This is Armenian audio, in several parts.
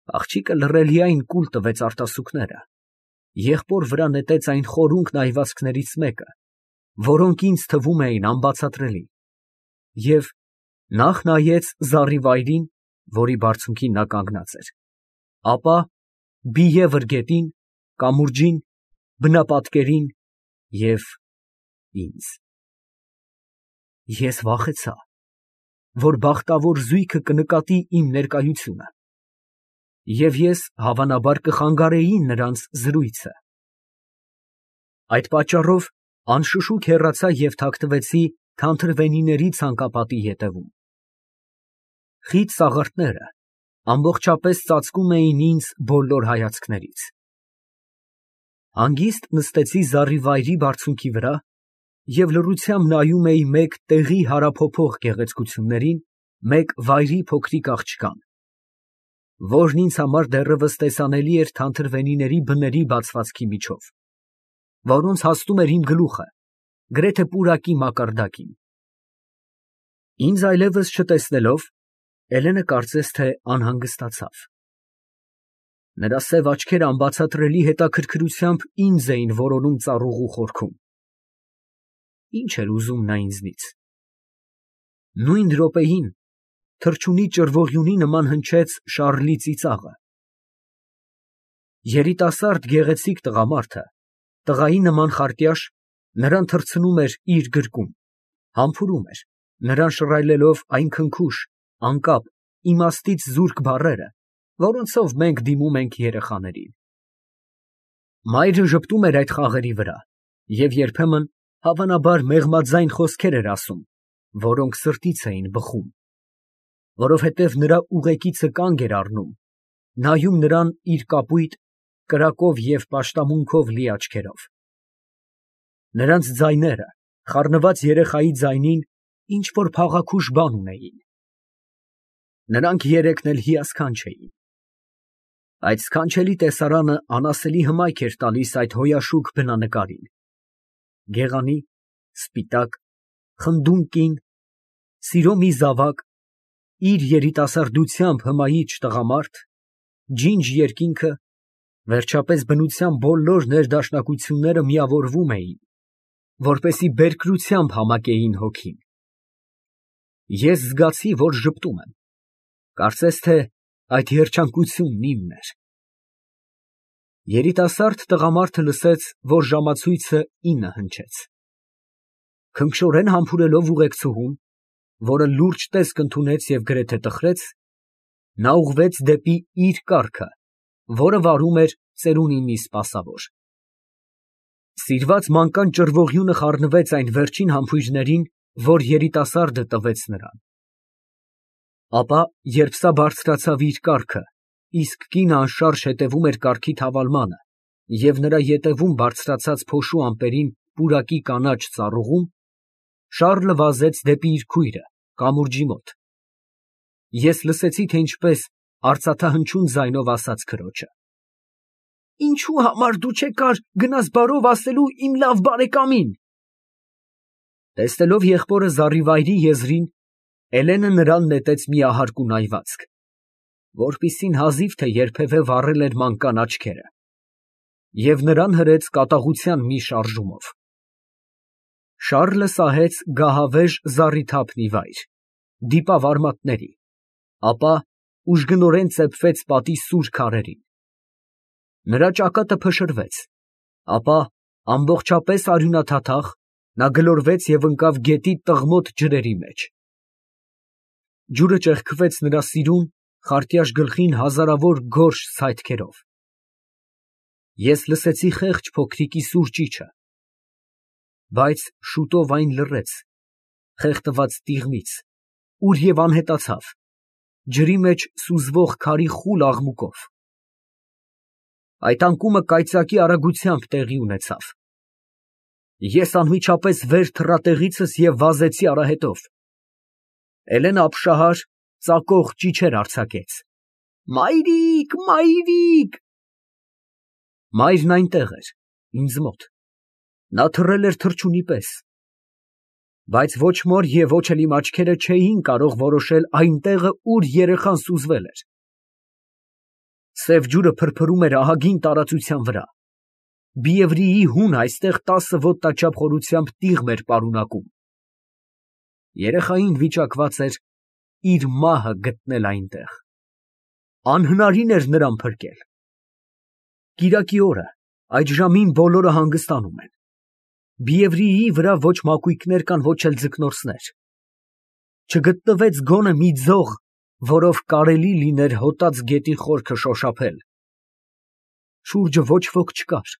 Աղջիկը լռելիայն կուլ տվեց արտասուքները, եղբոր վրա նետեց այն խորունգ նայվածքներից մեկը, որոնք ինձ թվում էին անբացատրելի, և նախ նայեց զառիվայրին, որի բարձունքին նա կանգնած էր, ապա բիևր գետին, կամուրջին, բնապատկերին և ինձ։ Ես վախեցա, որ բախտավոր զույգը կնկատի իմ ներկայությունը, և ես հավանաբար կխանգարեի նրանց զրույցը։ Այդ պատճառով անշշուկ հեռացա և թաքնվեցի թանթրվենիների ցանկապատի ետևում։ Խիտ սաղարթները ամբողջապես ծածկում էին ինձ բոլոր հայացքներից։ Հանգիստ նստեցի զառիվայրի բարձունքի վրա և լռությամբ նայում էի մեկ տեղի հարափոփող գեղեցկություններին, մեկ վայրի փոքրիկ աղջկան, որն ինձ համար դեռևս տեսանելի էր թանթրվենիների բների բացվածքի միջով, որոնց հասնում էր իմ գլուխը, գրեթե պուրակի մակարդակին։ Ինձ այլևս չտեսնելով, Էլենը կարծես թե անհանգստացավ։ Նրա սև աչքերը անբացատրելի հետաքրքրությամբ ինձ էին որոնում ծառուղու խորքում։ Ի՞նչ էր ուզում նա ինձնից։ Նույն րոպեին թռչունի ճռվողյունի նման հնչեց Շառլի ծիծաղը։ Երիտասարդ գեղեցիկ տղամարդը, տղայի նման խարտյաշ, նրան թռցնում էր իր գրկում, համբուրում էր, նրան շռայլելով այն քնքուշ, անկապ, իմաստից զուրկ բառերը, որոնցով մենք դիմում ենք երեխաներին։ Մայրը ժպտում էր այդ խաղերի վրա և երբեմն, հավանաբար, մեղմաձայն խոսքեր էր ասում, որոնք սրտից էին բխում, որովհետև նրա ուղեկիցը կանգ էր առնում, նայում նրան իր կապույտ, կրակով և պաշտամունքով լի աչքերով։ Նրանց ձայները խառնված երեխայի ձայնին ինչ֊որ փաղաքուշ բան ունեին։ Նրանք երեքն էլ հիասքանչ էին։ Այդ սքանչելի տեսարանը անասելի հմայք էր տալիս այդ հոյաշուկ բնանկարին։ Գեղանի, սպիտակ, խնդուն կին, սիրո մի զավակ, իր երիտասարդությամբ հմայիչ տղամարդ, ջինջ երկինքը, վերջապես բնության բոլոր ներդաշնակությունները միավորվում էին, որպեսզի բերկրությամբ համակեին հոգին։ Ես զգացի, որ ժպտում եմ, կարծես թե այդ երջանկությունն իմն էր։ Երիտասարդ տղամարդը լսեց, որ ժամացույցը 9 հնչեց։ Քնքշորեն համբուրելով ուղեկցուհուն, որը լուրջ տեսք ընդունեց և գրեթե տխրեց, նա ուղղվեց դեպի իր կառքը, որը վարում էր ծերունի մի սպասավոր։ Սիրված մանկան ճռվողյունը խառնվեց այն վերջին համբույրներին, որ երիտասարդը տվեց նրան։ Ապա, երբ սա բարձրացավ իր կառքը, իսկ կինը անշարժ հետևում էր կառքի թավալմանը և նրա ետևում բարձրացած փոշու ամպերին պուրակի կանաչ ծառուղում, Շառլը վազեց դեպի իր քույրը, կամուրջի մոտ։ Ես լսեցի, թե ինչպես արծաթահնչյուն ձայնով ասաց քրոջը. «Ինչու համար դու չեկար գնաս բարով ասելու իմ լավ բարեկամին»։ Տեսնելով եղբորը զառիվայրի եզրին, Էլենը նրան նետեց մի ահարկու նայվածք, որպիսին հազիվ թե երբևէ վառել էր մանկան աչքերը, և նրան հրեց կատաղության մի շարժումով։ Շառլը սահեց գահավեժ զառիթափ մի վայր, դիպավ արմատների, ապա ուժգնորեն ծեփվեց պատի սուր քարերին։ Նրա ճակատը փշրվեց, ապա ամբողջապես արյունաթաթախ նա գլորվեց և ընկավ գետի տղմոտ ջրերի մեջ։ Ջուրը ճեղքվեց նրա սիրուն, խարտյաշ գլխին հազարավոր գորշ ցայտքերով։ Ես լսեցի խեղճ փոքրիկի սուր ճիչը, բայց շուտով այն լռեց, խեղդված տիղմից, ուր և անհետացավ, ջրի մեջ սուզվող քարի խուլ աղմուկով։ Այդ անկումը կայծակի արագությամբ տեղի ունեցավ։ Ես անմիջապես վեր թռա տեղիցս և վազեցի արահետով։ Էլենը ապշահար, ծակող ճիչեր արձակեց. «Մայրիկ, մայրիկ»։ Մայրն այնտեղ էր, ինձ մոտ, նա թռել էր թռչունի պես, բայց ոչ մոր և ոչ էլ իմ աչքերը չէին կարող որոշել այն տեղը, ուր երեխան սուզվել էր։ Սև ջուրը փրփրում էր ահագին տարածության վրա։ Բիևրիի հունը այստեղ 10 ոտնաչափ խորությամբ տիղմ էր պարունակում։ Երեխային վիճակված էր իր մահը գտնել այնտեղ։ Անհնարին էր նրան փրկել։ Կիրակի օրը այդ ժամին բոլորը հանգստանում են։ Բիևրիի վրա ոչ մակույկներ կան, ոչ էլ ձկնորսներ։ Չգտնվեց գոնե մի ձող, որով կարելի լիներ հոտած գետի խորքը շոշափել։ Շուրջը ոչ ոք չկար։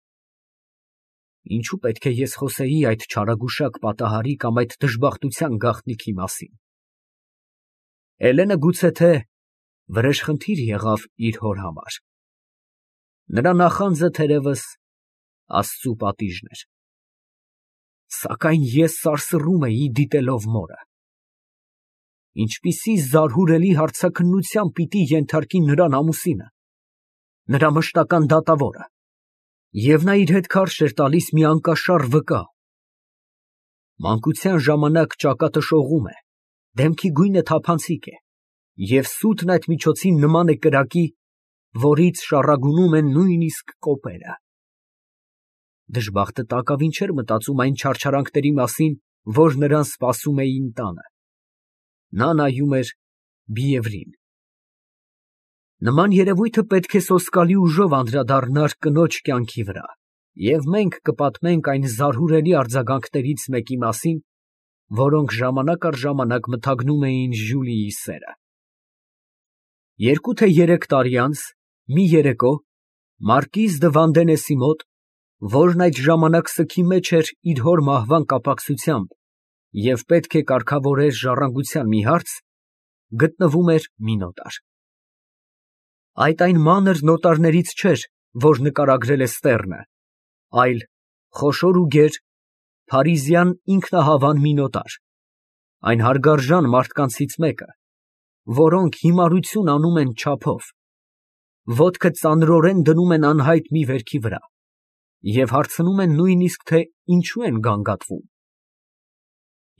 Ինչու պետք է ես խոսեի այդ չարագուշակ պատահարի կամ այդ դժբախտության գաղտնիքի մասին։ Էլենը գուցե թե վրեժխնդիր եղավ իր հոր համար։ Նրա նախանձը թերևս Աստծու պատիժն էր։ Սակայն ես սարսռում էի դիտելով մորը։ Ինչպիսի զարհուրելի հարցաքննության պիտի ենթարկի նրան ամուսինը, նրա մշտական դատավորը, և նա իր հետ քարշ էր տալիս մի անկաշառ վկա։ Մանկության ժամանակ ճակատը շողում է, դեմքի գույնը թափանցիկ է, և սուտն այդ միջոցին նման է կրակի, որից շառագունում են նույնիսկ կոպերը։ Դժբախտը տակավին չէր մտածում այն չարչարանքների մասին, որ նրան սպասում էին տանը։ Նա նայում էր Բիևրին։ Նման երևույթը պետք է սոսկալի ուժով անդրադառնար կնոջ կյանքի վրա, և մենք կպատմենք այն զարհուրելի արձագանքներից մեկի մասին, որոնք ժամանակ առ ժամանակ մթագնում էին Ժյուլիի սերը։ 2 թե 3 տարի անց մի երեկո մարկիզ դը Վանդենեսի մոտ, որն այդ ժամանակ սգի մեջ էր իր հոր մահվան կապակցությամբ և պետք է կարգավորեր ժառանգության մի հարց, գտնվում էր մի նոտար։ Այդ այն մանր նոտարներից չէր, որ նկարագրել է Ստեռնը, այլ խոշոր ու գեր, փարիզյան ինքնահավան մի նոտար, այն հարգարժան մարդկանցից մեկը, որոնք հիմարություն անում են չափով, ոտքը ծանրորեն դնում են անհայտ մի վերքի վրա և հարցնում են նույնիսկ, թե ինչու են գանգատվում։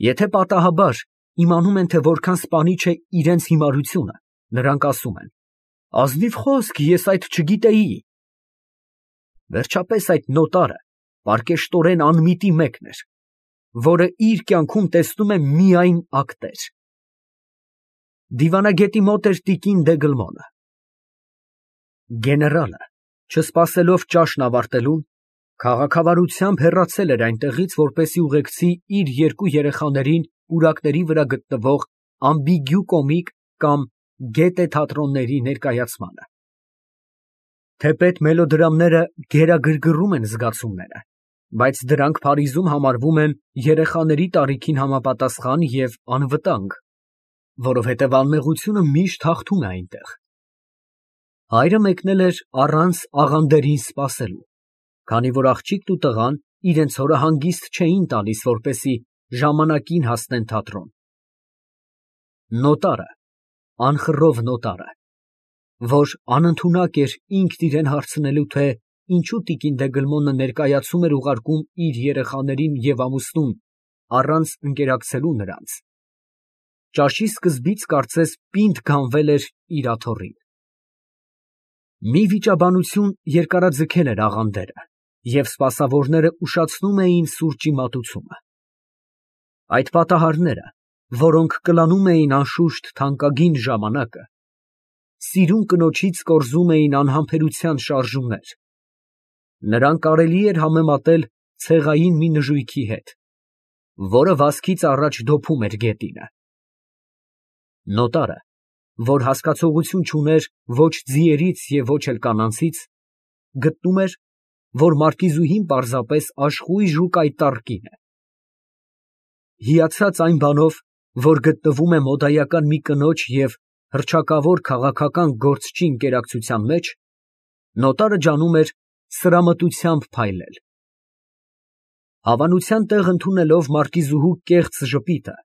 Եթե պատահաբար իմանում են, թե որքան սպանիչ է իրենց հիմարությունը, նրանք ասում են. ազնիվ խոսք, ես այդ չգիտեի։ Վերջապես այդ նոտարը պարկեշտորեն անմիտի մեկն էր, որը իր կյանքում տեսնում է միայն ակտեր։ Դիվանագետի մոտ էր տիկին Դեգլմոնը։ Գեներալը, չսպասելով ճաշն ավարտելուն, քաղաքավարությամբ հեռացել էր այնտեղից, որպեսզի ուղեկցի իր 2 երեխաներին պուրակների վրա գտնվող ամբիգյու կոմիկ կամ գետե թատրոնների ներկայացմանը։ Թեպետ մելոդրամները գերագրգռում են զգացումները, բայց դրանք Փարիզում համարվում են երեխաների տարիքին համապատասխան և անվտանգ, որովհետև անմեղությունը միշտ հաղթում է այնտեղ։ Հայրը մեկնել էր առանց աղանդերին սպասելու, քանի որ աղջիկն ու տղան իրենց հորը հանգիստ չէին տալիս, որպեսզի ժամանակին հասնեն թատրոն։ Նոտարը, անխռով նոտարը, որ անընդունակ էր ինքն իրան հարցնելու, թե ինչու տիկին Դեգլմոնը ներկայացում էր ուղարկում իր երեխաներին և ամուսնուն առանց ընկերակցելու նրանց, ճաշի սկզբից կարծես պինդ գանվել էր իր աթոռին։ Մի վիճաբանություն երկարաձգել էր աղանդերը, և սպասավորները ուշացնում էին սուրճի մատուցումը։ Այդ պատահարները, որոնք կլանում էին անշուշտ թանկագին ժամանակը, սիրուն կնոջից կորզում էին անհամբերության շարժումներ։ Նրան կարելի էր համեմատել ցեղային մի նժույգի հետ, որը վազքից առաջ դոփում էր գետինը։ Նոտարը, որ հասկացողություն չուներ ոչ ձիերից և ոչ էլ կանանցից, գտնում էր, որ մարկիզուհին պարզապես աշխույժ ու կայտառ կին է։ Հիացած այն բանով, որ գտնվում է մոդայական մի կնոջ և հռչակավոր քաղաքական գործչի ընկերակցության մեջ, նոտարը ջանում էր սրամտությամբ փայլել։ Հավանության տեղ ընդունելով մարկիզուհու կեղծ ժպիտը,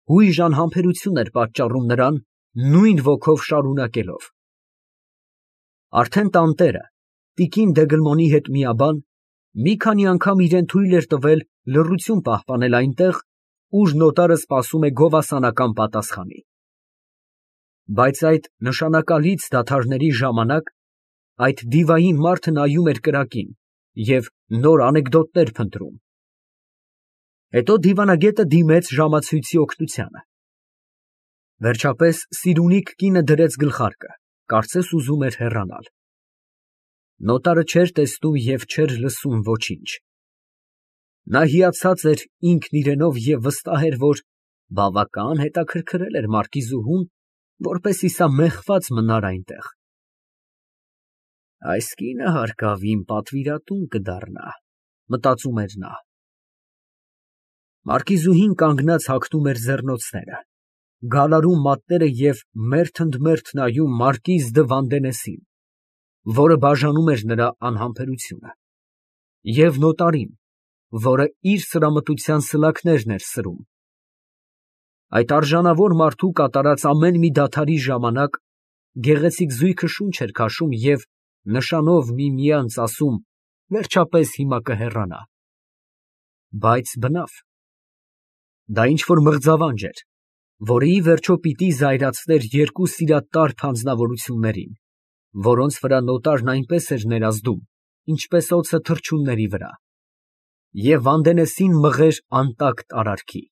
հույժ անհամբերություն էր պատճառում նրան, նույն ոգով շարունակելով. Արդեն տանտերը, տիկին Դեգլմոնի հետ միաբան, մի քանի անգամ իրան թույլ էր տվել լռություն պահպանել այնտեղ, ուր նոտարը սպասում է գովասանական պատասխանի։ Բայց այդ նշանակալից դադարների ժամանակ այդ դիվային մարդը նայում էր կրակին և նոր անեկդոտներ փնտրում։ Հետո դիվանագետը դիմեց ժամացույցի օգնությանը։ Վերջապես սիրունիկ կինը դրեց գլխարկը, կարծես ուզում էր հեռանալ։ Նոտարը չէր տեսնում և չէր լսում ոչինչ։ Նա հիացած էր ինքն իրենով և վստահ էր, որ բավական հետաքրքրել էր մարկիզուհուն, որպեսզի սա մեղված մնար այնտեղ։ Այս կինը հարկավ իմ պատվիրատուն կդառնա, մտածում էր նա։ Մարկիզուհին կանգնած հագնում էր ձեռնոցները, գալարում մատները և մերթ ընդ մերթ նայում մարկիզ դը Վանդենեսին, որը բաժանում էր նրա անհամբերությունը, և նոտարին, որը իր սրամտության սլաքներն էր սրում։ Այդ արժանավոր մարդու կատարած ամեն մի դադարի ժամանակ գեղեցիկ զույգը շունչ էր քաշում և նշանով միմյանց ասում. «Վերջապես հիմա կհեռանա»։ Բայց բնավ, դա ինչ֊որ մղձավանջ էր, որը ի վերջո պիտի զայրացներ երկու սիրատար անձնավորություններին, որոնց վրա նոտարն այնպես էր ներազդում, ինչպես օձը թռչունների վրա, և Վանդենեսին մղեր անտակտ արարքի։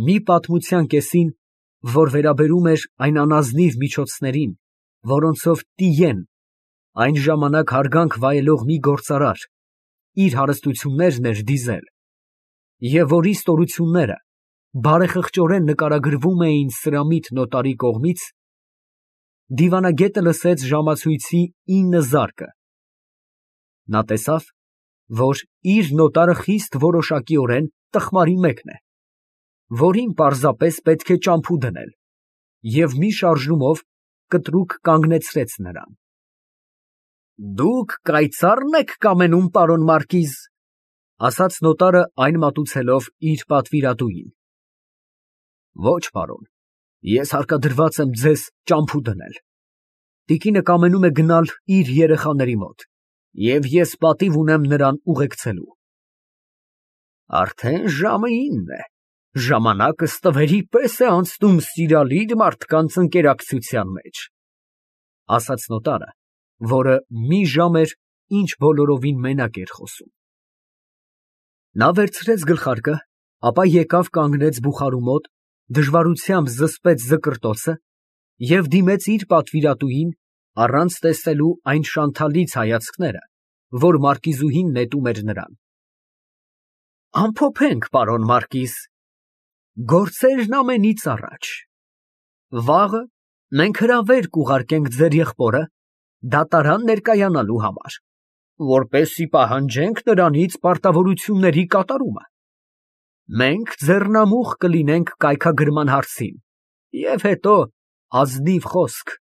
Մի պատմության կեսին, որ վերաբերում էր այն անազնիվ միջոցներին, որոնցով Տիեն, այն ժամանակ հարգանք վայելող մի գործարար, իր հարստություններն էր դիզել, և որի ստորությունները բարեխղճորեն նկարագրվում էին սրամիտ նոտարի կողմից, դիվանագետը լսեց ժամացույցի 9 զարկը։ Նա տեսավ, որ իր նոտարը խիստ որոշակիորեն տխմարի մեկն է, որին պարզապես պետք է ճամփու դնել, և մի շարժումով կտրուկ կանգնեցրեց նրան։ «Դուք կայծառ՞ն եք կամենում, պարոն մարկիզ», ֊ ասաց նոտարը այն մատուցելով իր պատվիրատուին։ «Ոչ, պարոն, ես հարկադրված եմ ձեզ ճամփու դնել։ Տիկինը կամենում է գնալ իր երեխաների մոտ, և ես պատիվ ունեմ նրան ուղեկցելու»։ «Արդեն ժամը 9 է, ժամանակը ստվերի պես է անցնում սիրալիր մարդկանց ընկերակցության մեջ», ֊ ասաց նոտարը, որը մի ժամ էր, ինչ բոլորովին մենակ էր խոսում։ Նա վերցրեց գլխարկը, ապա եկավ կանգնեց բուխարու մոտ, դժվարությամբ զսպեց զկրտոցը և դիմեց իր պատվիրատուին, առանց տեսնելու այն շանթալից հայացքները, որ մարկիզուհին նետում էր նրան։ «Ամփոփենք, պարոն մարկիզ, գործերն ամենից առաջ։ Վաղը մենք հրավեր կուղարկենք ձեր եղբորը դատարան ներկայանալու համար, որպեսզի պահանջենք նրանից պարտավորությունների կատարումը։ Մենք ձեռնամուխ կլինենք կայքագրման հարցին, և հետո ազնիվ խոսք»։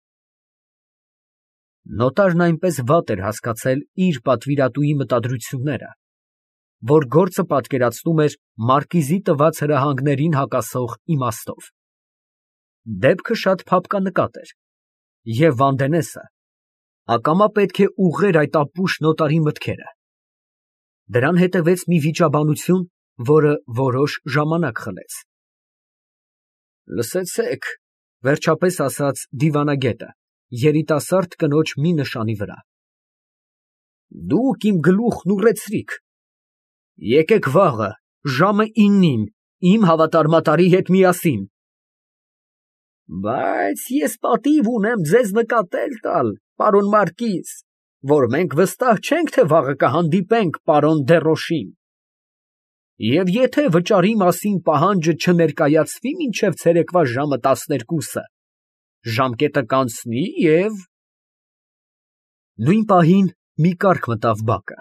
Նոտարն այնպես վատ էր հասկացել իր պատվիրատուի մտադրությունները, որ գործը պատկերացնում էր մարկիզի տված հրահանգներին հակասող իմաստով։ Դեպքը շատ փափկանկատ էր, և Վանդենեսը ակամա պետք է ուղղեր այդ ապուշ նոտարի մտքերը։ Դրան հետևեց մի վիճաբանություն, որը որոշ ժամանակ խլեց։ «Լսեցեք», ֊ վերջապես ասաց դիվանագետը երիտասարդ կնոջ մի նշանի վրա, «դուք իմ գլուխն ուռեցրիք։ Եկեք վաղը ժամը 9-ին իմ հավատարմատարի հետ միասին»։ «Բայց ես պատիվ ունեմ ձեզ նկատել տալ, պարոն մարկիզ, որ մենք վստահ չենք, թե վաղը կհանդիպենք պարոն Դեռոշին, և եթե վճարի մասին պահանջը չներկայացվի մինչև ցերեկվա ժամը 12-ը, ժամկետը կանցնի և…»։ Նույն պահին մի կառք մտավ բակը,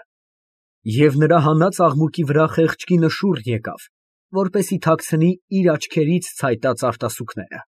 և նրա հանած աղմուկի վրա խեղճ կինը շուռ եկավ, որպեսզի թաքցնի իր աչքերից ցայտած արտասուքները։